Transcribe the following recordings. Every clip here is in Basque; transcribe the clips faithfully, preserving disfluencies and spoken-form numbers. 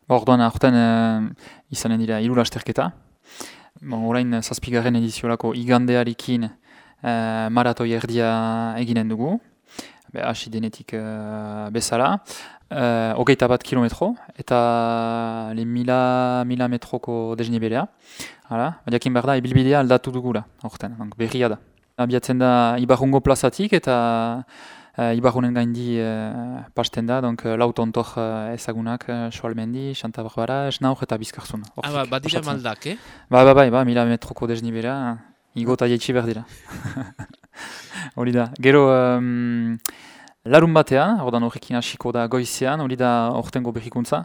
Orduan, aurten uh, izanen dira hiru lasterketa. Bon, orain zazpigarren ediziorako igandearekin uh, maratoi erdia eginen dugu. Be, hasi denetik uh, bezala. Uh, hogeita bat kilometro eta le mila, mila metroko desniberea. Hala, jakin behar da, ibilbidea aldatu dugula, aurten, berria da. Abiatzen da Ibarrungo plazatik eta uh, Ibarrunen gaindi uh, pasten da, donc uh, lau tontor uh, ezagunak, uh, Soalmendi, Santa Barbara, Esnaur eta Bizkarzun. Ah, ba, badira maldak, eh? Ba, ba, ba, ba, mila metroko desnibera, igo eta jaitsi behar dira. Hori da. Gero, um, larun batean, ordan horrekin hasiko da goizean, hori da ortengo berrikuntza,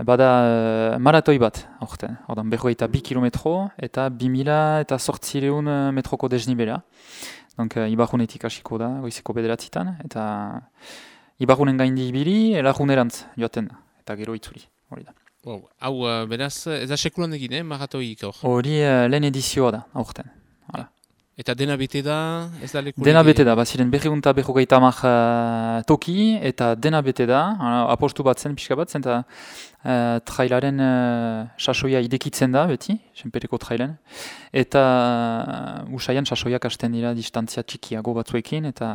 bada uh, maratoi bat, orten. Ordan berrogeita bi kilometro eta bi mila eta zortzireun metroko desnibera. Donc, uh, Ibarrunetik hasiko da, goizeko bederatzitan, eta Ibarrunen gaindi ibili, Larrunerantz joaten da, eta gero itzuli, hori da. Wow. Hau, uh, beraz, ez da sekulan egin, eh, maratoik hor? Hori uh, lehen edizioa da, aurten. Hala. Eta dena bete da, ez da leku? Dena bete da, baziren berriunta berrogeita hamar uh, toki, eta dena bete da, uh, apostu bat zen, pixka bat zen, eta uh, trailaren uh, sasoia idekitzen da, beti, senpereko trailen, eta uh, usaian sasoiak hasten dira distantzia txikiago batzuekin, eta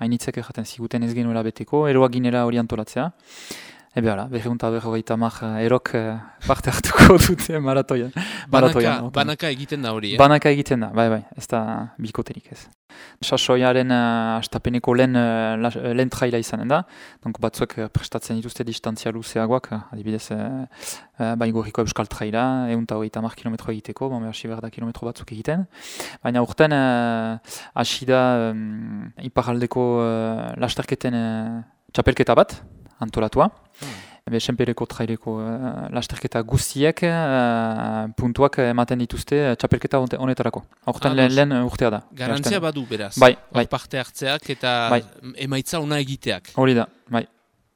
hainitzek erraten ziguten ez genuela beteko, eroak ginela hori antolatzea. Ebe hala, berriunta berrogeita hamar erok uh, parte hartuko dute maratoian. Banaka, banaka egiten da hori, eh? Banaka egiten da, bai, bai, ez da bikoterik ez. Sasoiaren uh, astapeneko lehen, uh, lehen traila izanen da, donc batzuek uh, prestatzen dituzte distantzia luzeagoak, uh, adibidez uh, uh, Baigorriko Euskal Traila, eunta hogeita hamar kilometro egiteko, bon, hasi behar da kilometro batzuk egiten. Baina urten, hasi uh, da um, iparaldeko uh, lasterketen uh, txapelketa bat, antolatua. Hmm. Ebe, senpereko traileko uh, lasterketa guztiek uh, puntuak ematen dituzte uh, txapelketa honetarako. Horten ah, lehen, lehen urtea da. Garantzia badu beraz. Bai, bai. Parte hartzeak eta bai. Emaitza ona egiteak. Hori da, bai.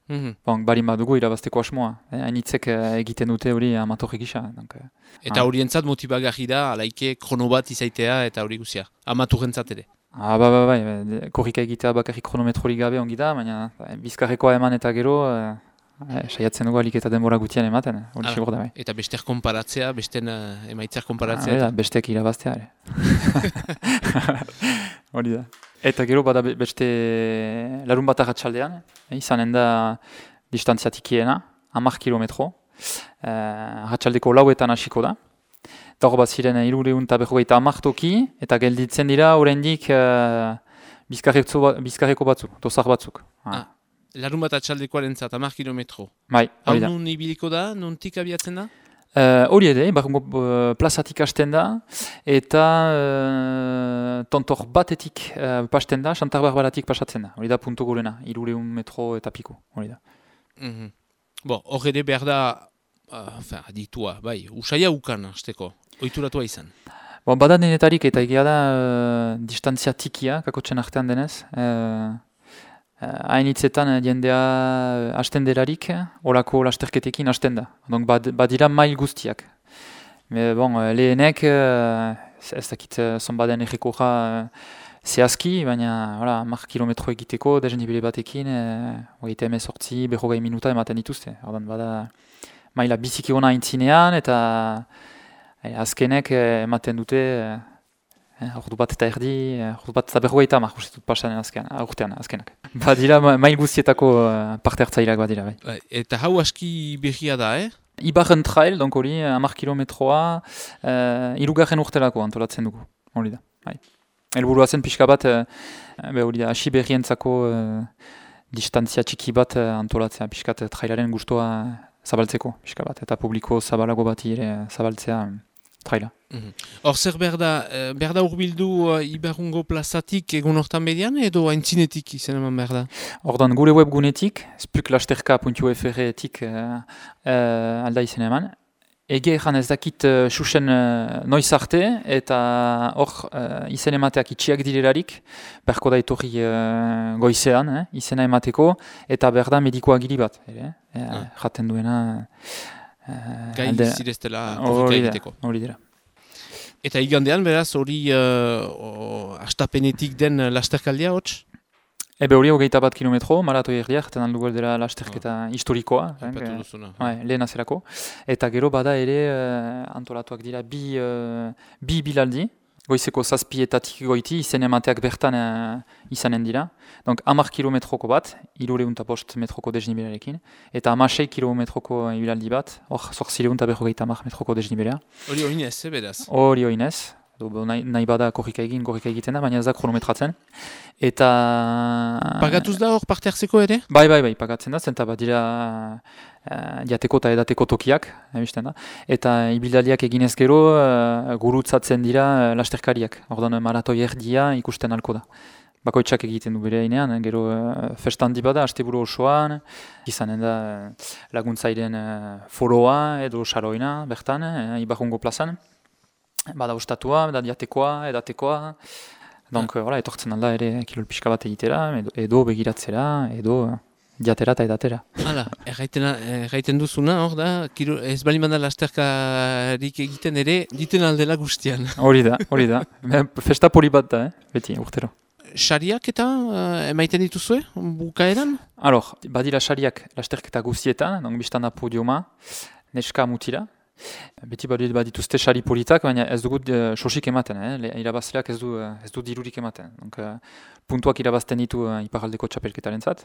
Mm-hmm. Bon, barin badugu irabazteko asmoa. Hainitzek eh, egiten dute hori amatorri gisa. Donc, eh, eta horientzat ah. motibagarri da, alaike krono bat izaitea eta hori guzia. Amaturrentzat ere. Ah, ba, ba, ba, ba. Korrika egitea bakarrik kronometrorik gabe ongi da, baina bizkarrekoa eman eta gero, eh, eh, saiatzen dugu alik eta denbora gutian ematen, hori ah, segur da bai. Eta besteak konparatzea, besten uh, emaitzak konparatzea? Ah, da, besteak irabaztea, ere. Hori da. Eta gero bada beste larun bat arratsaldean, eh, izanen da distantzia tikiena, hamar kilometro, eh, arratsaldeko lauetan hasiko da. Eta hor bat ziren hirureun eta berrogeita hamar toki, eta gelditzen dira oraindik uh, bizkarreko batzuk, dosar batzuk. Ah. Larun bat atxaldekoaren zat, hamar kilometro. Bai, hori da. Hau nun ibiliko da, nontik abiatzen da? Hori uh, ere, Ibarrungo uh, plazatik hasten da, eta uh, tontor batetik uh, pasten da, Santa Barbaratik pasatzen da. Hori da puntu gorena, hirureun metro eta piko, hori da. Mm-hmm. Bo, hor ere behar da, uh, enfin, aditua, bai, usaia ukan hasteko. Oituratua izan. Bon, bada denetarik eta egia da uh, distantzia tikia, kakotzen artean denez. Uh, Hainitzetan uh, jendea uh, hasten delarik, horako lasterketekin hasten da. Donc bad, badira mail guztiak. Me, bon, uh, lehenek, uh, ez dakit uh, zonbaden errekorra uh, zehazki, baina hola, mar kilometro egiteko, dezenibile batekin, uh, ogeite emezortzi, berrogei minuta ematen dituzte. Ordan bada maila biziki hona intzinean, eta E, azkenek ematen dute eh, ordu bat eta erdi, eh, ordu bat eta berrogeita hamar uste dut pasanen azken, urtean azkenak. Badira mail guztietako uh, parte hartzaileak badira. Bai. Eta hau aski berria da, eh? Ibarren trail, donc hori hamar kilometroa, uh, irugarren urtelako antolatzen dugu, hori da. Bai. Helburua zen pixka bat, uh, hori da, hasi berrientzako uh, distantzia txiki bat uh, antolatzea, pixka trailaren gustoa zabaltzeko, pixka bat, eta publiko zabalago bati ere zabaltzea traila. Hor mm-hmm. zer berda, berda urbildu uh, Ibarrungo plazatik egun hortan bedian edo haintzinetik izan eman berda? Ordan gure webgunetik, spuklasterka puntu f r-etik uh, uh, alda izan eman. Ege egan ez dakit susen uh, uh, noiz arte, eta hor uh, izen emateak itxiak direlarik, berko da etorri uh, goizean, eh, izena emateko, eta berda medikoa gili bat. Ere, eh, ah. Jaten duena... Uh, Gai zireztela korrika egiteko. Hori dira. Eta igandean, beraz, hori uh, astapenetik den lasterkaldia, hotz? Ebe hori hogeita bat kilometro, maratoi erdiak, eta aldugu dela lasterketa oh. historikoa. Aipatu duzuna. Bai, lehen azerako. Eta gero bada ere uh, antolatuak dira bi, uh, bi bilaldi, goizeko zazpietatik goiti, izen emateak bertan uh, izanen dira. Donc hamar kilometroko bat, hirureun eta bost metroko desnibelarekin, eta hamasei kilometroko ibilaldi bat, hor zortzireun eta berrogeita hamar metroko desnibelea. Hori oinez, eh, beraz? Hori oinez. Nahi, nahi bada korrika egin, korrika egiten da, baina ez da kronometratzen. Eta... Pagatuz da hor parte hartzeko ere? Bai, bai, bai, pagatzen da, zenta bat dira uh, jateko eta edateko tokiak, ebisten da. Eta ibildaliak eginez gero, uh, gurutzatzen dira uh, lasterkariak. Ordan maratoi erdia ikusten alko da. Bakoitzak egiten du bere hainean, gero uh, festan di bada, asteburu osoan, izanen da uh, laguntzairen uh, foroa edo saroina, bertan, uh, Ibarrungo plazan. Bada ustatua, bada diatekoa, edatekoa. Donc, ah. voilà, etortzen alda ere kilol pixka bat egitera, edo, edo begiratzera, edo diatera eta edatera. Hala, erraiten duzuna, hor da, kilo, ez bali manda lasterkarik egiten ere, diten aldela guztian. Hori da, hori da. Festa poli bat da, eh? Beti, urtero. Sariak eta uh, emaiten dituzue, bukaeran? Alors, badira sariak lasterketa guztietan, donc biztan da podiuma, neska mutila. Beti bat dituzte sari politak, baina ez dugut uh, sosik ematen, eh? Irabazleak ez du, uh, ez du dirurik ematen. Donc, uh, puntuak irabazten ditu uh, iparaldeko txapelketaren zat.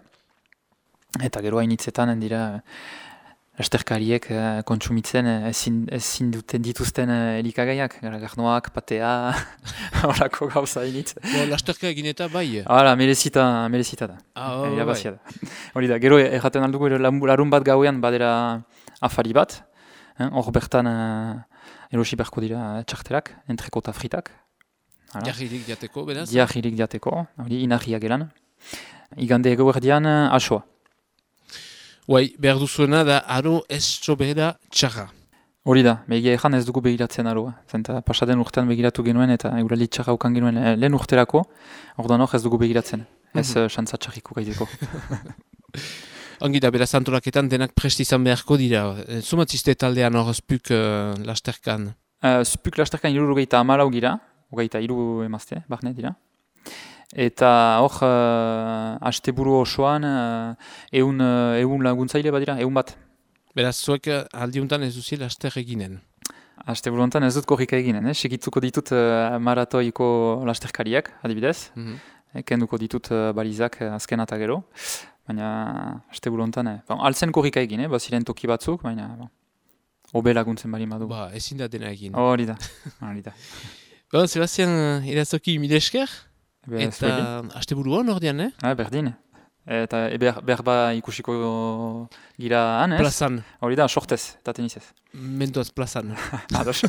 Eta gero hainitzetan dira uh, lasterkariek uh, kontsumitzen uh, ezin, ezin duten dituzten uh, elikagaiak, garnoak, patea, horako gauza hainitz. Bo, lasterka egin eta bai? Hala, merezita, merezita da. Ah, oh, irabazia da. Hori da, gero erraten aldugu larun bat gauean badera afari bat. Hor bertan uh, erosi beharko dira txartelak, entreko eta fritak. Diagirik diateko, beraz? Diagirik diateko, hori inahia gelan. Igande egoerdian uh, asoa. Uai, behar duzuena da aro ez sobera txarra. Hori da, begia ezan ez dugu begiratzen aroa. Zenta pasaden urtean begiratu genuen eta egurali txarra ukan genuen eh, lehen urterako, ordan hor ez dugu begiratzen. Ez mm -hmm. uh, xantza txarriko gaiteko. Ongi da, beraz antolaketan denak prest izan beharko dira. Zumatziste taldean hor spuk uh, lasterkan? Uh, spuk lasterkan iru hogeita amalau gira, hogeita iru emazte, barne dira. Eta hor, uh, asteburu osoan, uh, eun, uh, eun laguntzaile badira, eun bat. Beraz, zuek aldiuntan ez duzi laster eginen? Asteburu honetan ez dut korrika eginen, eh? Segitzuko ditut uh, maratoiko lasterkariak, adibidez. Mm -hmm. Kenduko ditut uh, balizak uh, azken eta gero. Baina, asteburu honetan, eh? Bon, altzen korrika egin, eh? Baziren toki batzuk, baina, bon, obe laguntzen bali madu. Ba, ezin da dena egin. Hori da, hori da. Bon, Sebastian, irazoki mile esker? Eta asteburu hon ordean, eh? Ah, berdin. Eta e, ber, berba ikusiko gira han, ez? Plazan. Hori da, sortez, eta tenisez. Mendoaz plazan. Ados.